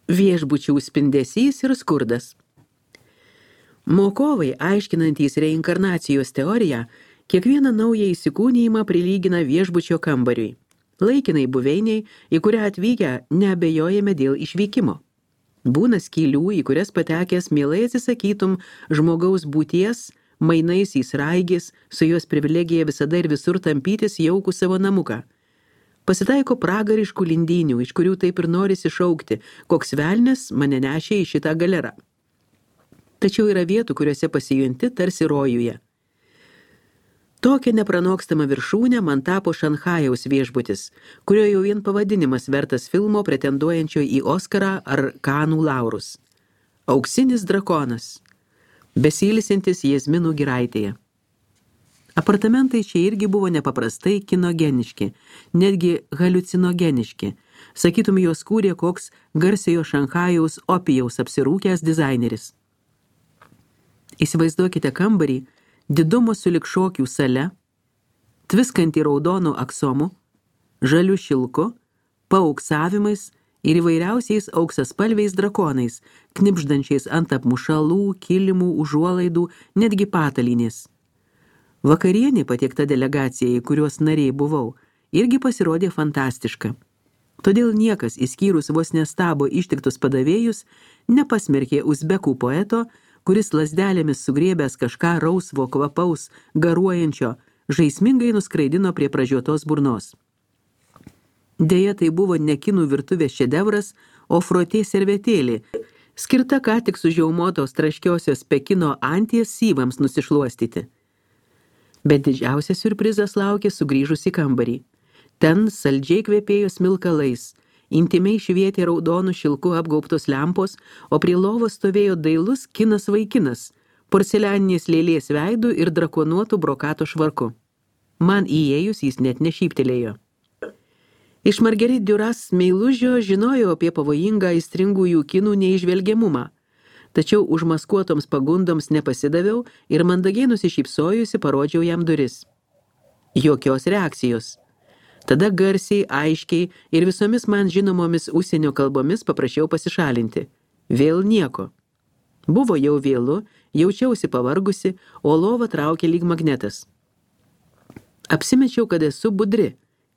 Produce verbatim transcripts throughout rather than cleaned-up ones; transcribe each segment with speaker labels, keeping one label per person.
Speaker 1: Viešbučių spindesys ir skurdas. Mokovai, aiškinantys reinkarnacijos teoriją, kiekvieną naują įsikūnijimą prilygina viešbučio kambariui, laikinai buveiniai, į kurią atvykę neabejojame dėl išvykimo. Būna skylių, į kurias patekęs mielai atsisakytum žmogaus būties, mainais į sraigės, su jos privilegija visada ir visur tampytis jaukų savo namuką. Pasitaiko pragariškų lindynių, iš kurių taip ir norisi šaukti, koks velnias mane nešė į šitą galerą. Tačiau yra vietų, kuriuose pasijunti tarsi rojuje. Tokia nepranokstamą viršūnę man tapo Šanchajaus viešbutis, kurio jau vien pavadinimas vertas filmo pretenduojančio į Oskarą ar Kanų laurus. Auksinis drakonas, besiilsintis Jazminų giraitėje. Apartamentai čia irgi buvo nepaprastai kinogeniški, netgi haliucinogeniški. Sakytum, juos kūrė koks garsiojo Šanchajaus opijaus apsirūkęs dizaineris. Įsivaizduokite kambarį, didumo sulig šokių sale, tviskantį raudonų aksomų, žalių šilku, paauksavimais ir įvairiausiais auksaspalviais drakonais, knipždančiais ant apmušalų, kilimų, užuolaidų, netgi patalynės. Vakarienė patiekta delegacijai, kurios nariai buvau, irgi pasirodė fantastiška. Todėl niekas, išskyrus vos nestabo ištiktus padavėjus, nepasmerkė uzbekų poeto, kuris lazdelėmis sugriebęs kažką rausvo kvapaus, garuojančio, žaismingai nuskraidino prie pražiotos burnos. Deja, tai buvo ne kinų virtuvės šedevras, o frotė servetėlė, skirta ką tik sužiaumotos traškiosios Pekino anties syvams nusišluostyti. Bet didžiausias siurprizas laukė sugrįžus į kambarį. Ten saldžiai kvepėjo smilkalais, intimiai švietė raudonų šilku apgaubtos lempos, o prie lovos stovėjo dailus kinas vaikinas, porcelianinės lėlės veidų ir drakonuotų brokato švarku. Man įėjus jis net nešyptelėjo. Iš Marguerite Duras meilužio žinojau apie pavojingą aistringųjų kinų neižvelgiamumą. Tačiau užmaskuotoms pagundoms nepasidaviau ir mandagiai nusišypsojusi parodžiau jam duris. Jokios reakcijos. Tada garsiai, aiškiai ir visomis man žinomomis užsienio kalbomis paprašiau pasišalinti. Vėl nieko. Buvo jau vėlu, jaučiausi pavargusi, o lova traukė lyg magnetas. Apsimečiau, kad esu budri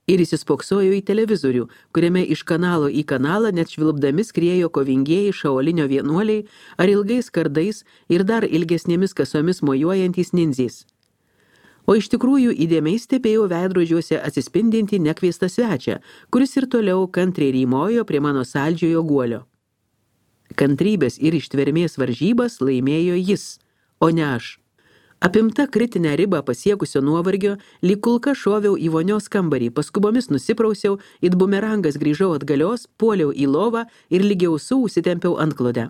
Speaker 1: ir įsispoksojau į televizorių, kuriame iš kanalo į kanalą net švilpdami skriejo kovingieji šaolinio vienuoliai ar ilgais kardais ir dar ilgesnėmis kasomis mojuojantys ninzės. O iš tikrųjų įdėmiai stebėjau veidrodžiuose atsispindinti nekviestą svečią, kuris ir toliau kantriai rymojo prie mano saldžiojo guolio. Kantrybės ir ištvermės varžybas laimėjo jis, o ne aš. Apimta kritinę ribą pasiekusio nuovargio, lyg kulka šoviau į vonios kambarį, paskubomis nusiprausiau, it bumerangas grįžau atgalios, puoliau į lovą ir lygiau su užsitempiau antklodę.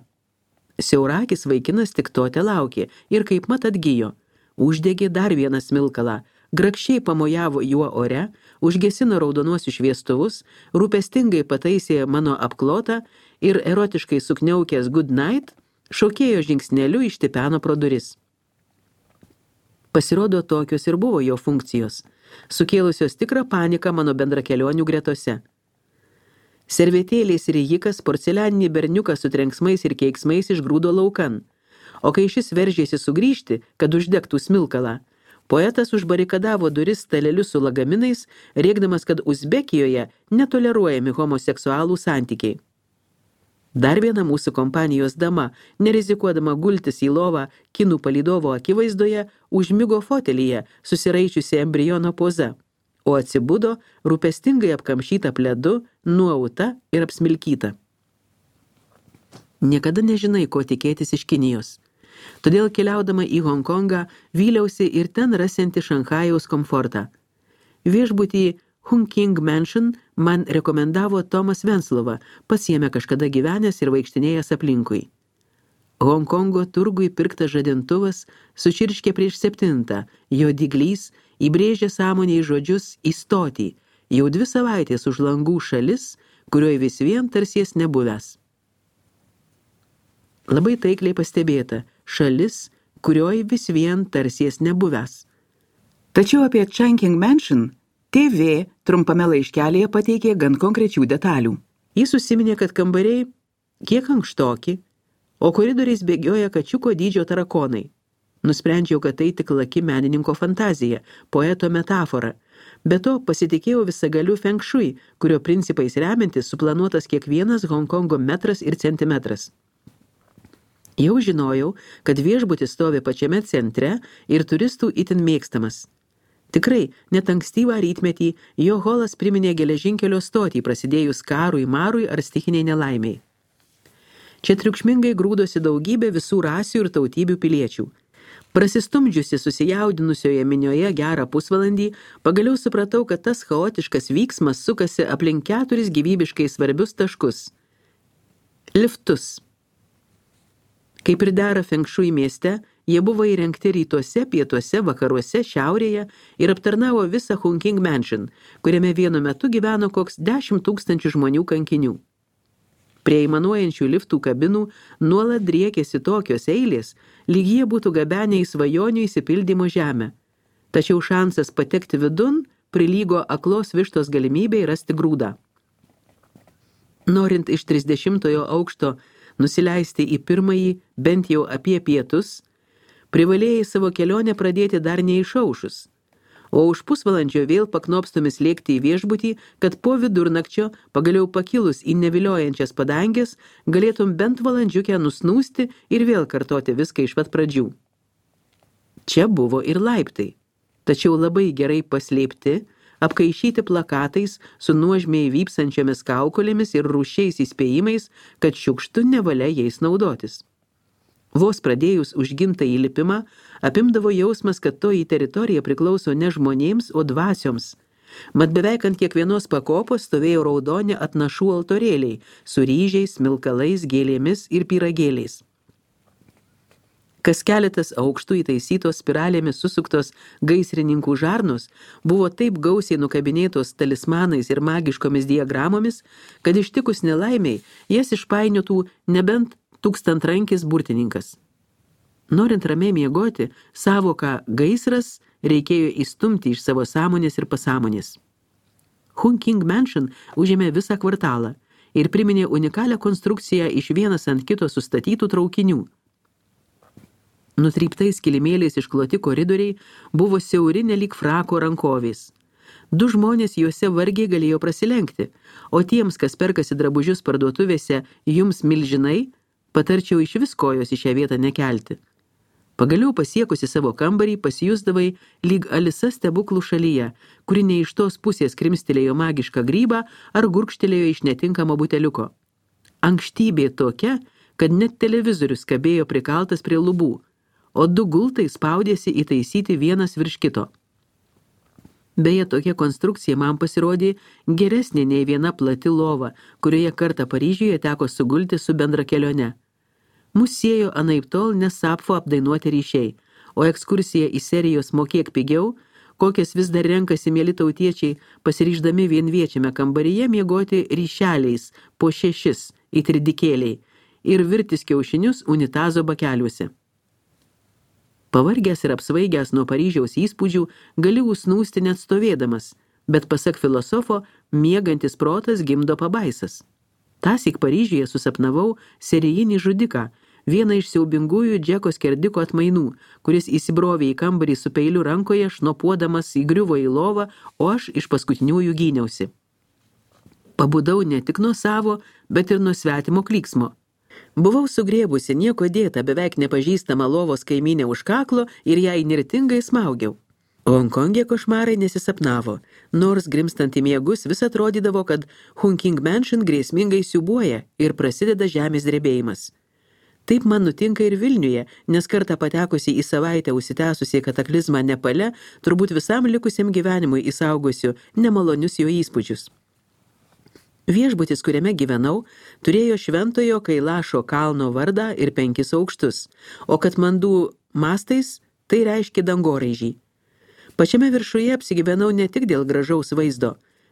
Speaker 1: Siaurakis vaikinas tik to te laukė ir kaip mat atgijo. Uždegė dar vieną smilkalą, grakščiai pamojavo juo ore, užgesino raudonuosius šviestuvus, rūpestingai pataisė mano apklotą ir erotiškai sukniaukęs good night, šokėjo žingsneliu ištipeno pro duris. Pasirodo, tokios ir buvo jo funkcijos, sukėlusios tikrą paniką mano bendrakelionių gretose. Servetėlės ir jikas porcelianinį berniuką su trenksmais ir keiksmais išgrūdo laukan, o kai šis veržėsi sugrįžti, kad uždegtų smilkalą, poetas užbarikadavo duris staleliu su lagaminais, rėkdamas, kad Uzbekijoje netoleruojami homoseksualų santykiai. Dar viena mūsų kompanijos dama, nerizikuodama gultis į lovą kinų palydovo akivaizdoje, užmigo fotelyje, susiraičiusi embriono poza, o atsibudo rūpestingai apkamšyta pledu, nuauta ir apsmilkyta. Niekada nežinai, ko tikėtis iš Kinijos. Todėl keliaudama į Honkongą vyliausi ir ten rasianti Šanchajaus komfortą. Viešbutį Hunking Mansion man rekomendavo Tomas Venslova, pasiėmė kažkada gyvenęs ir vaikštinėjęs aplinkui. Honkongo turgui pirktas žadintuvas sučirškė prieš septintą, jo dyglys įbrėžė sąmonėj žodžius įstoti, jau dvi savaitės už langų šalis, kurioj vis vien tarsies nebuvęs. Labai taikliai pastebėta, šalis, kurioj vis vien tarsies nebuvęs. Tačiau apie Chungking Mansion T V trumpame laiškelėje pateikė gan konkrečių detalių. Jis užsiminė, kad kambariai kiek ankštoki, o koridoriais bėgioja kačiuko dydžio tarakonai. Nusprendžiau, kad tai tik laki menininko fantazija, poeto metafora. Be to pasitikėjau visagaliu feng shui, kurio principais remiantis suplanuotas kiekvienas Honkongo metras ir centimetras. Jau žinojau, kad viešbutis stovi pačiame centre ir turistų itin mėgstamas. Tikrai, net ankstyvą rytmetį jo holas priminė geležinkelio stotį prasidėjus karui, marui ar stichiniai nelaimiai. Čia triukšmingai grūdosi daugybė visų rasių ir tautybių piliečių. Prasistumdžiusi susijaudinusioje minioje gerą pusvalandį, pagaliau supratau, kad tas chaotiškas vyksmas sukasi aplink keturis gyvybiškai svarbius taškus. Liftus. Kaip ir dera feng shui mieste, jie buvo įrengti rytuose, pietuose, vakaruose, šiaurėje ir aptarnavo visą Hunking Mansion, kuriame vienu metu gyveno koks dešimt tūkstančių žmonių kankinių. Prie įmanuojančių liftų kabinų nuolat driekėsi tokios eilės, lyg jie būtų gabenę į svajonių įsipildymo žemę. Tačiau šansas patekti vidun prilygo aklos vištos galimybei rasti grūdą. Norint iš trisdešimtojo aukšto nusileisti į pirmąjį, bent jau apie pietus, privalėjai savo kelionę pradėti dar neišaušus, o už pusvalandžio vėl paknopstomis lėkti į viešbutį, kad po vidurnakčio, pagaliau pakilus į neviliojančias padangės, galėtum bent valandžiukę nusnūsti ir vėl kartoti viską iš pat pradžių. Čia buvo ir laiptai, tačiau labai gerai paslėpti, apkaišyti plakatais su nuožmiai vypsančiomis kaukolėmis ir rūšiais įspėjimais, kad šiukštu nevalia jais naudotis. Vos pradėjus užgimtą įlipimą, apimdavo jausmas, kad toji teritorija priklauso ne žmonėms, o dvasioms. Mat beveik ant kiekvienos pakopos stovėjo raudoni atnašų altorėliai su ryžiais, smilkalais, gėlėmis ir pyragėliais. Kas keletas aukštų įtaisytos spiralėmis susuktos gaisrininkų žarnos buvo taip gausiai nukabinėtos talismanais ir magiškomis diagramomis, kad ištikus nelaimiai jas išpainiotų nebent tūkstantrankis burtininkas. Norint ramiai miegoti, savoką gaisras reikėjo įstumti iš savo sąmonės ir pasąmonės. Hunking Mansion užėmė visą kvartalą ir priminė unikalią konstrukciją iš vienas ant kito sustatytų traukinių. Nutryptais kilimėliais iškloti koridoriai buvo siauri nelyg frako rankovės. Du žmonės juose vargiai galėjo prasilenkti, o tiems, kas perkasi drabužius parduotuvėse jums milžinai, patarčiau iš vis kojos į šią vietą nekelti. Pagaliau pasiekusi savo kambarį pasijusdavai lyg Alisa stebuklų šalyje, kuri ne iš tos pusės krimstelėjo magišką grybą ar gurkštelėjo iš netinkamo buteliuko. Ankštybė tokia, kad net televizorius kabėjo prikaltas prie lubų, o du gultai spaudėsi įtaisyti vienas virš kito. Beje, tokia konstrukcija man pasirodė geresnė nei viena plati lova, kurioje kartą Paryžiuje teko sugulti su bendra kelione. Mus siejo anaiptol ne Sapfo apdainuoti ryšiai, o ekskursija į serijos Mokėk pigiau, kokias vis dar renkasi mieli tautiečiai, pasiryždami vienviečiame kambaryje miegoti ryšeliais po šešis į tridikėliai ir virtis kiaušinius unitazo bakeliuose. Pavargęs ir apsvaigęs nuo Paryžiaus įspūdžių, gali užsnūsti net stovėdamas, bet pasak filosofo, miegantis protas gimdo pabaisas. Tąsyk Paryžiuje susapnavau serijinį žudiką, vieną iš siaubingųjų Džeko skerdiko atmainų, kuris įsibrovė į kambarį su peiliu rankoje, šnopuodamas įgriuvo į lovą, o aš iš paskutiniųjų gyniausi. Pabudau ne tik nuo savo, bet ir nuo svetimo klyksmo. Buvau sugrėbusi nieko dėtą beveik nepažįstamą lovos kaimynę už kaklo ir ją įnirtingai smaugiau. Honkonge košmarai nesisapnavo, nors grimstant į miegus vis atrodydavo, kad Hunking Mansion grėsmingai siūbuoja ir prasideda žemės drebėjimas. Taip man nutinka ir Vilniuje, nes kartą patekusi į savaitę užsitęsusi kataklizmą Nepale, turbūt visam likusiam gyvenimui įsaugosiu nemalonius jo įspūdžius. Viešbutis, kuriame gyvenau, turėjo šventojo Kailašo kalno vardą ir penkis aukštus, o Katmandų mastais tai reiškia dangoraižį. Pačiame viršuje apsigyvenau ne tik dėl gražaus vaizdo,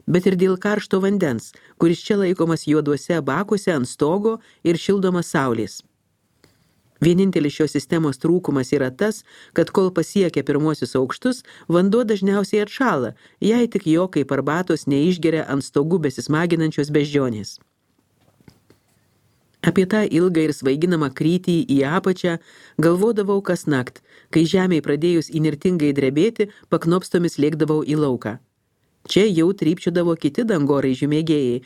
Speaker 1: bet ir dėl karšto vandens, kuris čia laikomas juoduose bakuose ant stogo ir šildomas saulės. Vienintelis šios sistemos trūkumas yra tas, kad kol pasiekia pirmuosius aukštus, vanduo dažniausiai atšąla, jei tik jo kaip arbatos neišgeria ant stogų besismaginančios beždžionės. Apie tą ilgą ir svaiginamą krytį į apačią galvodavau kas nakt, kai žemei pradėjus įnirtingai drebėti, paknopstomis lėkdavau į lauką. Čia jau trypčiodavo kiti dangoraižių mėgėjai,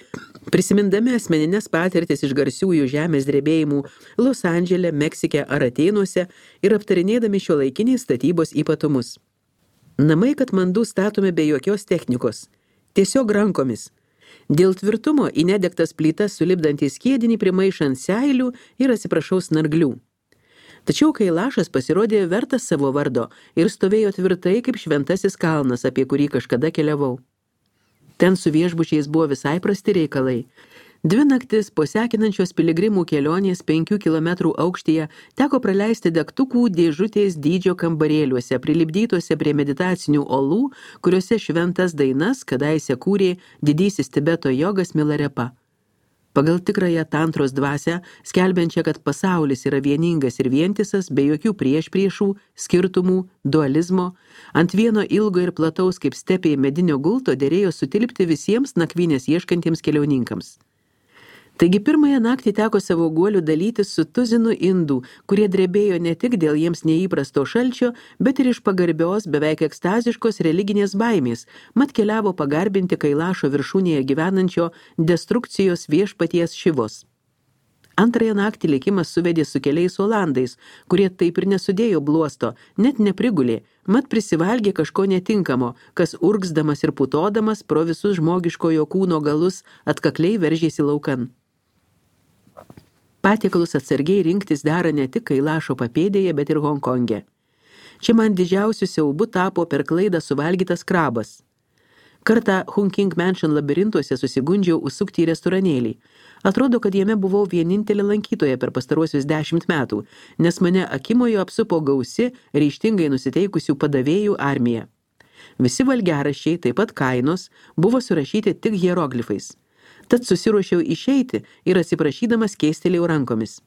Speaker 1: prisimindami asmeninės patirtis iš garsiųjų žemės drebėjimų Los Andžele, Meksike ar Atėnuose ir aptarinėdami šiuolaikiniais statybos ypatumus. Namai Katmandu statomi be jokios technikos, tiesiog rankomis. Dėl tvirtumo į nedegtas plytas sulipdantį skiedinį primaišant seilių ir atsiprašau snarglių. Tačiau Kailašas pasirodė vertas savo vardo ir stovėjo tvirtai kaip šventasis kalnas, apie kurį kažkada keliavau. Ten su viešbučiais buvo visai prasti reikalai. Dvi naktis po sekinančios piligrimų kelionės penkių kilometrų aukštyje teko praleisti degtukų dėžutės dydžio kambarėliuose, prilipdytuose prie meditacinių olų, kuriuose šventas dainas kadaise kūrė didysis Tibeto jogas Milarepa. Pagal tikrąją tantros dvasią, skelbiančią, kad pasaulis yra vieningas ir vientisas, be jokių priešpriešų, skirtumų, dualizmo, ant vieno ilgo ir plataus kaip stepė medinio gulto derėjo sutilpti visiems nakvynės ieškantiems keliauninkams. Taigi pirmąją naktį teko savo guolių dalytis su tuzinu indų, kurie drebėjo ne tik dėl jiems neįprasto šalčio, bet ir iš pagarbios, beveik ekstaziškos religinės baimės, mat keliavo pagarbinti Kailašo viršūnėje gyvenančio destrukcijos viešpaties Šivos. Antrąją naktį likimas suvedė su keliais olandais, kurie taip ir nesudėjo bluosto, net neprigulė, mat prisivalgė kažko netinkamo, kas urgzdamas ir putodamas pro visus žmogiškojo kūno galus atkakliai veržėsi laukan. Patiekalus atsargiai rinktis dera ne tik Kailašo papėdėje, bet ir Honkonge. Čia man didžiausiu siaubu tapo per klaidą suvalgytas krabas. Kartą Hunking Mansion labirintuose susigundžiau užsukti į restoranėlį. Atrodo, kad jame buvau vienintelė lankytoja per pastaruosius dešimt metų, nes mane akimojo apsupo gausi, ryžtingai nusiteikusių padavėjų armija. Visi valgiaraščiai, taip pat kainos, buvo surašyti tik hieroglifais. Tad susiruošiau išeiti ir atsiprašydamas keistelėjau rankomis.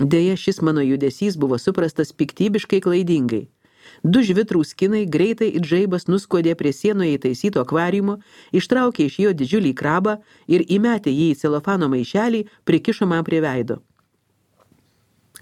Speaker 1: Deja, šis mano judesys buvo suprastas piktybiškai klaidingai. Du žvitrūs kinai greitai it žaibas nuskodė prie sienoje įtaisyto akvariumo, ištraukė iš jo didžiulį krabą ir įmetė jį į celofano maišelį, prikišo man prie veido.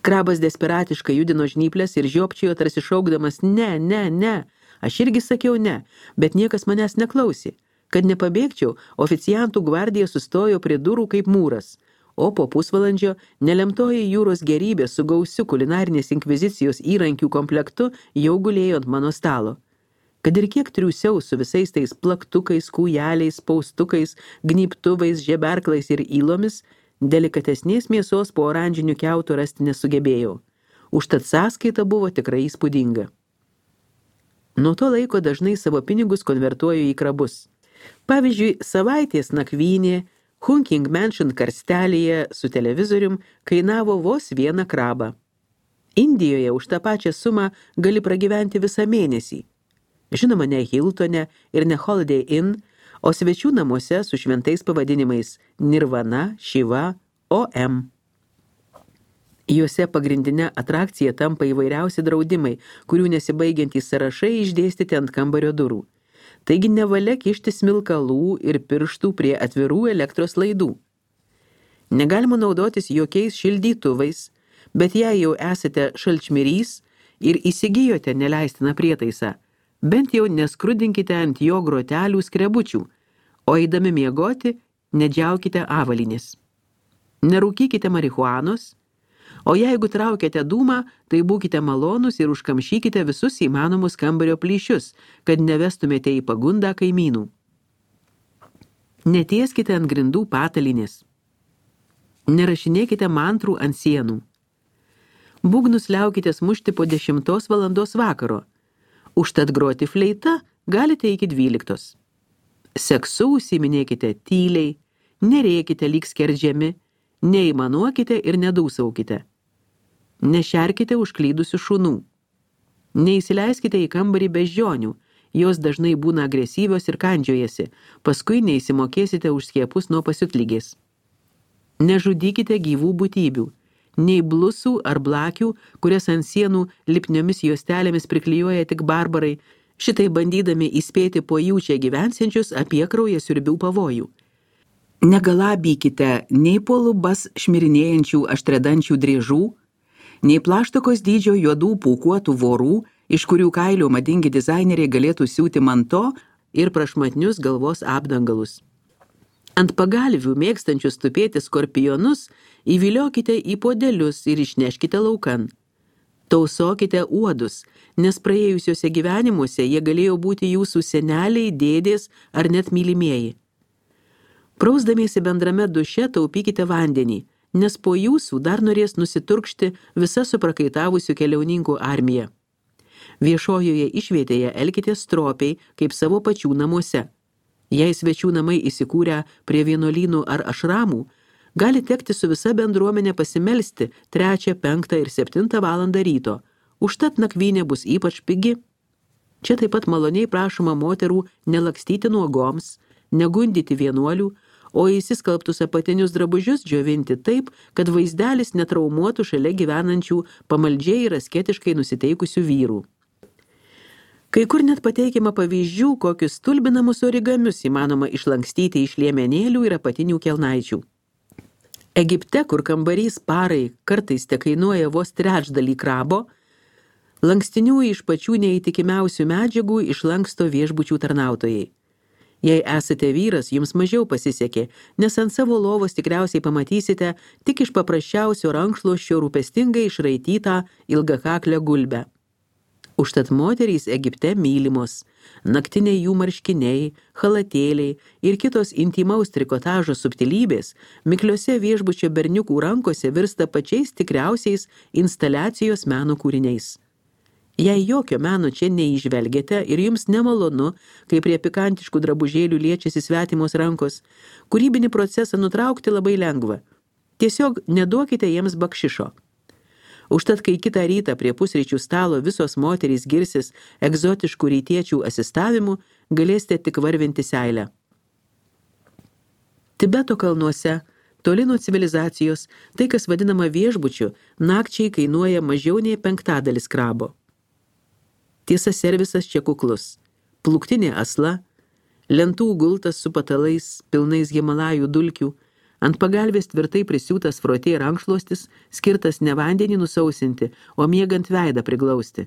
Speaker 1: Krabas desperatiškai judino žnyplės ir žiopčiojo tarsi šaukdamas ne, ne, ne. Aš irgi sakiau ne, bet niekas manęs neklausė. Kad nepabėgčiau, oficiantų gvardija sustojo prie durų kaip mūras, o po pusvalandžio nelemtoji jūros gerybė su gausiu kulinarinės inkvizicijos įrankių komplektu jau gulėjo ant mano stalo. Kad ir kiek triūsiau su visais tais plaktukais, kūjeliais, spaustukais, gnybtuvais, žeberklais ir įlomis, delikatesnės mėsos po oranžinių kiautų rasti nesugebėjau. Užtat sąskaita buvo tikrai įspūdinga. Nuo to laiko dažnai savo pinigus konvertuoju į krabus. Pavyzdžiui, savaitės nakvynė Hunking Mansion karstelėje su televizorium kainavo vos vieną krabą. Indijoje už tą pačią sumą gali pragyventi visą mėnesį. Žinoma, ne Hiltone ir ne Holiday Inn, o svečių namuose su šventais pavadinimais Nirvana, Shiva, O M. Juose pagrindinė atrakcija tampa įvairiausi draudimai, kurių nesibaigiantys sąrašai išdėstyti ant kambario durų. Taigi nevalia kišti smilkalų ir pirštų prie atvirų elektros laidų. Negalima naudotis jokiais šildytuvais, bet jei jau esate šalčmirys ir įsigijote neleistiną prietaisą, bent jau neskrudinkite ant jo grotelių skrebučių, o eidami miegoti nedžiaukite avalynės. Nerūkykite marihuanos, o jeigu traukiate dūmą, tai būkite malonus ir užkamšykite visus įmanomus kambario plyšius, kad nevestumėte į pagundą kaimynų. Netieskite ant grindų patalinės. Nerašinėkite mantrų ant sienų. Būgnus liaukitės mušti po dešimtos valandos vakaro. Užtat groti fleita galite iki dvyliktos. Seksu užsiiminėkite tyliai, nerėkite lyg skerdžiami, neįmanuokite ir nedūsaukite. Nešerkite užklydusių šunų. Neįsileiskite į kambarį beždžionių, jos dažnai būna agresyvios ir kandžiojasi, paskui neįsimokėsite už skiepus nuo pasiutlygės. Nežudykite gyvų būtybių, nei blusų ar blakių, kurias ant sienų lipniomis juostelėmis priklijuoja tik barbarai, šitai bandydami įspėti po jų čia gyvensiančius apie kraujasiurbių pavojų. Negalabykite nei po lubas šmirinėjančių aštredančių driežų, nei plaštakos dydžio juodų pūkuotų vorų, iš kurių kailių madingi dizaineriai galėtų siūti manto ir prašmatnius galvos apdangalus. Ant pagalvių mėgstančius tupėti skorpionus įviliokite į podelius ir išneškite laukan. Tausokite uodus, nes praėjusiuose gyvenimuose jie galėjo būti jūsų seneliai, dėdės ar net mylimieji. Prausdamiesi bendrame duše taupykite vandenį, nes po jūsų dar norės nusiturkšti visa suprakaitavusių keliauninkų armija. Viešojoje išvietėje elkitės stropiai, kaip savo pačių namuose. Jei svečių namai įsikūrę prie vienuolynų ar ašramų, gali tekti su visa bendruomenė pasimelsti trečią, penktą ir septintą valandą ryto, užtat nakvynė bus ypač pigi. Čia taip pat maloniai prašoma moterų nelakstyti nuogoms, negundyti vienuolių, o įsiskalbtus apatinius drabužius džiovinti taip, kad vaizdelis netraumuotų šalia gyvenančių pamaldžiai ir asketiškai nusiteikusių vyrų. Kai kur net pateikiama pavyzdžių, kokius stulbinamus origamius įmanoma išlankstyti iš liemenėlių ir apatinių kelnaičių. Egipte, kur kambarys parai kartais tekainuoja vos trečdalį krabo, lankstinių iš pačių neįtikimiausių medžiagų išlanksto viešbučių tarnautojai. Jei esate vyras, jums mažiau pasisekė, nes ant savo lovos tikriausiai pamatysite tik iš paprasčiausio rankšluosčio rūpestingai išraitytą ilgakaklę gulbę. Užtat moterys Egipte mylimos, naktiniai jų marškiniai, chalatėliai ir kitos intimaus trikotažo subtilybės mikliose viešbučio berniukų rankose virsta pačiais tikriausiais instaliacijos meno kūriniais. Jei jokio meno čia neįžvelgiate ir jums nemalonu, kai prie pikantiškų drabužėlių liečiasi svetimos rankos, kūrybinį procesą nutraukti labai lengva. Tiesiog neduokite jiems bakšišo. Užtat, kai kitą rytą prie pusryčių stalo visos moterys girsis egzotiškų rytiečių asistavimu, galėsite tik varvinti seilę. Tibeto kalnuose, toli nuo civilizacijos, tai, kas vadinama viešbučiu, nakčiai kainuoja mažiau nei penktadalis krabo. Tiesa, servisas čia kuklus. Pluktinė asla, lentų gultas su patalais, pilnais Himalajų dulkių, ant pagalvės tvirtai prisiūtas frotė rankšluostis, skirtas ne vandenį nusausinti, o miegant veidą priglausti.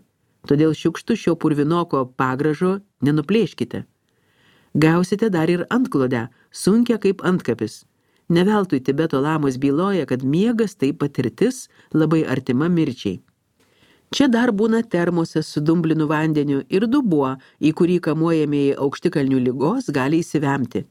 Speaker 1: Todėl šiukštu šio purvinoko pagražo nenuplėškite. Gausite dar ir antklodę, sunkia kaip antkapis. Neveltui Tibeto lamos byloja, kad miegas tai patirtis labai artima mirčiai. Čia dar būna termosas su dumblinu vandeniu ir dubuo, į kurį kamuojamieji aukštikalnių ligos gali įsivemti.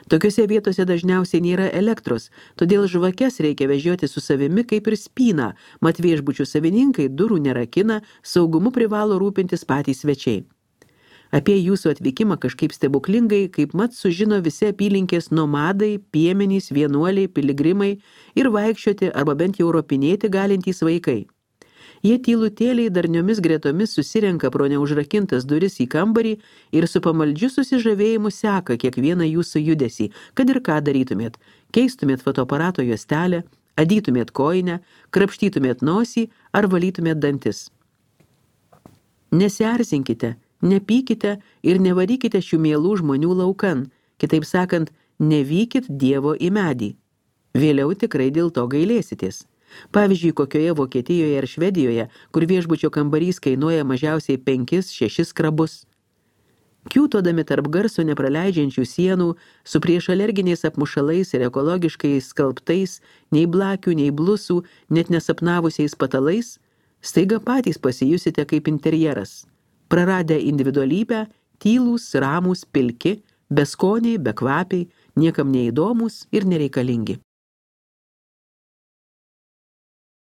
Speaker 1: Tokiose vietose dažniausiai nėra elektros, todėl žvakes reikia vežioti su savimi kaip ir spyną, mat viešbučių savininkai durų nerakina, saugumu privalo rūpintis patys svečiai. Apie jūsų atvykimą kažkaip stebuklingai, kaip mat sužino visi apylinkės nomadai, piemenys, vienuoliai, piligrimai ir vaikščioti arba bent jau ropinėti galintys vaikai. Jie tylutėliai darniomis gretomis susirenka pro neužrakintas duris į kambarį ir su pamaldžiu susižavėjimu seka kiekvieną jūsų judesį, kad ir ką darytumėt, keistumėt fotoaparato juostelę, adytumėt kojinę, krapštytumėt nosį ar valytumėt dantis. Nesierzinkite, nepykite ir nevarykite šių mielų žmonių laukan, kitaip sakant, nevykit Dievo į medį. Vėliau tikrai dėl to gailėsitės. Pavyzdžiui, kokioje Vokietijoje ar Švedijoje, kur viešbučio kambarys kainuoja mažiausiai penkis šešis krabus. Kiūtodami tarp garso nepraleidžiančių sienų, su priešalerginiais apmušalais ir ekologiškai skalbtais, nei blakių, nei blusų, net nesapnavusiais patalais, staiga patys pasijusite kaip interjeras. Praradę individualybę, tylūs, ramūs, pilki, beskoniai, bekvapiai, niekam neįdomus ir nereikalingi.